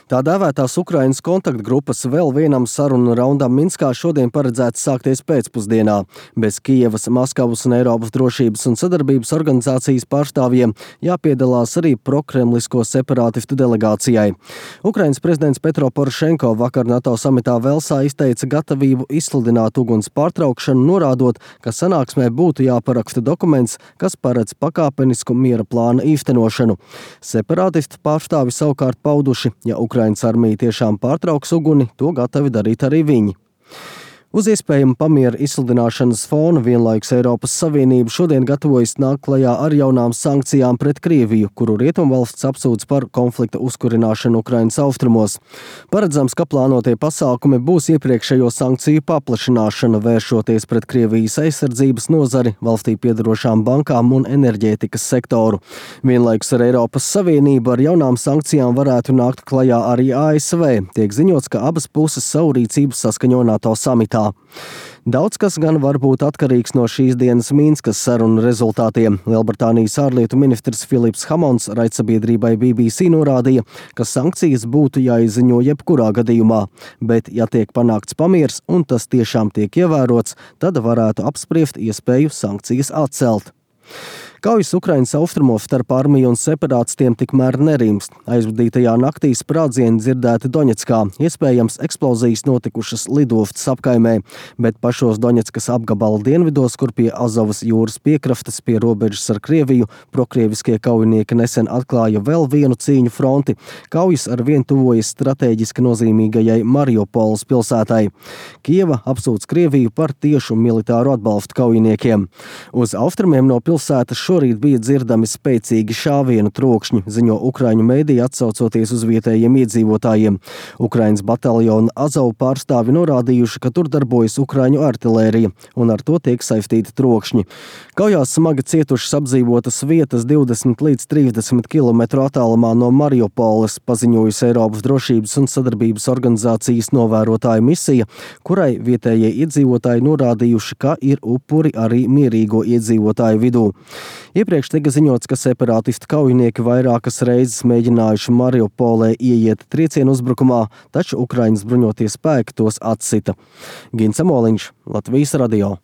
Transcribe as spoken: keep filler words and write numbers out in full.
Tā dēvētās Ukrainas kontaktgrupas vēl vienam sarunu raundam Minskā šodien paredzēts sākties pēcpusdienā. Bez Kijevas, Maskavas un Eiropas drošības un sadarbības organizācijas pārstāvjiem jāpiedalās arī prokremlisko separātistu delegācijai. Ukrainas prezidents Petro Porošenko vakar NATO samitā Velsā izteica gatavību izsludināt uguns pārtraukšanu, norādot, ka sanāksmē būtu jāparaksta dokuments, kas paredz pakāpenisku miera plāna īstenošanu. Separātistu pārstāvi savukārt pauduši, ja Ukrainas armija tiešām pārtrauks uguni, to gatavi darīt arī viņi. Uz iespējamu pamiera izsludināšanas fona vienlaikus Eiropas Savienība šodien gatavojas nākt klajā ar jaunām sankcijām pret Krieviju, kuru rietumvalsts apsūdz par konflikta uzkurināšanu Ukrainas austrumos. Paredzams, ka plānotie pasākumi būs iepriekšējo sankciju paplašināšana, vēršoties pret Krievijas aizsardzības nozari, valstī piedarošām bankām un enerģētikas sektoru. Vienlaikus ar Eiropas Savienību ar jaunām sankcijām varētu nākt klajā arī A S V. Tiek ziņots, ka abas puses savu rīcību saskaņo NATO samitā. Daudz kas gan var būt atkarīgs no šīs dienas Minskas sarunu rezultātiem. Lielbritānijas ārlietu ministrs Filips Hamons raidsabiedrībai B B C norādīja, ka sankcijas būtu jāizziņo jebkurā gadījumā, bet, ja tiek panākts pamiers un tas tiešām tiek ievērots, tad varētu apspriest iespēju sankcijas atcelt. Kaujas Ukrainas austrumos starp armiju un separātistiem tikmēr nerimst. Aizvadītajā naktī sprādzieni dzirdēti Doņetskā, iespējams eksplozijas notikušas lidostas apkaimē, bet pašos Doņetskas apgabala dienvidos, kur pie Azovas jūras piekrastes pie robežas ar Krieviju, prokrieviskie kaujinieki nesen atklāja vēl vienu cīņu fronti. Kaujas arvien tuvojas stratēģiski nozīmīgajai Mariupoles pilsētai. Kijeva apsūdz Krieviju par tiešu militāru atbalstu kaujiniekiem. Uz austrumiem no pilsētas šorīt bija dzirdami spēcīgi šāvienu trokšņi, ziņo ukraiņu mēdīji atsaucoties uz vietējiem iedzīvotājiem. Ukrainas bataljona Azovu pārstāvi norādījuši, ka tur darbojas ukraiņu artilērija, un ar to tiek saistīti trokšņi. Kaujās smagi cietušas apdzīvotas vietas divdesmit līdz trīsdesmit kilometru attālumā no Mariupoles, paziņojusi Eiropas drošības un sadarbības organizācijas novērotāju misija, kurai vietējie iedzīvotāji norādījuši, ka ir upuri arī mierīgo iedzīvotāju vidū. Iepriekš tika ziņots, ka separātistu kaujinieki vairākas reizes mēģinājuši Mariupolē ieiet triecienu uzbrukumā, taču Ukrainas bruņotie spēki tos atsita. Gins Amoliņš, Latvijas radio.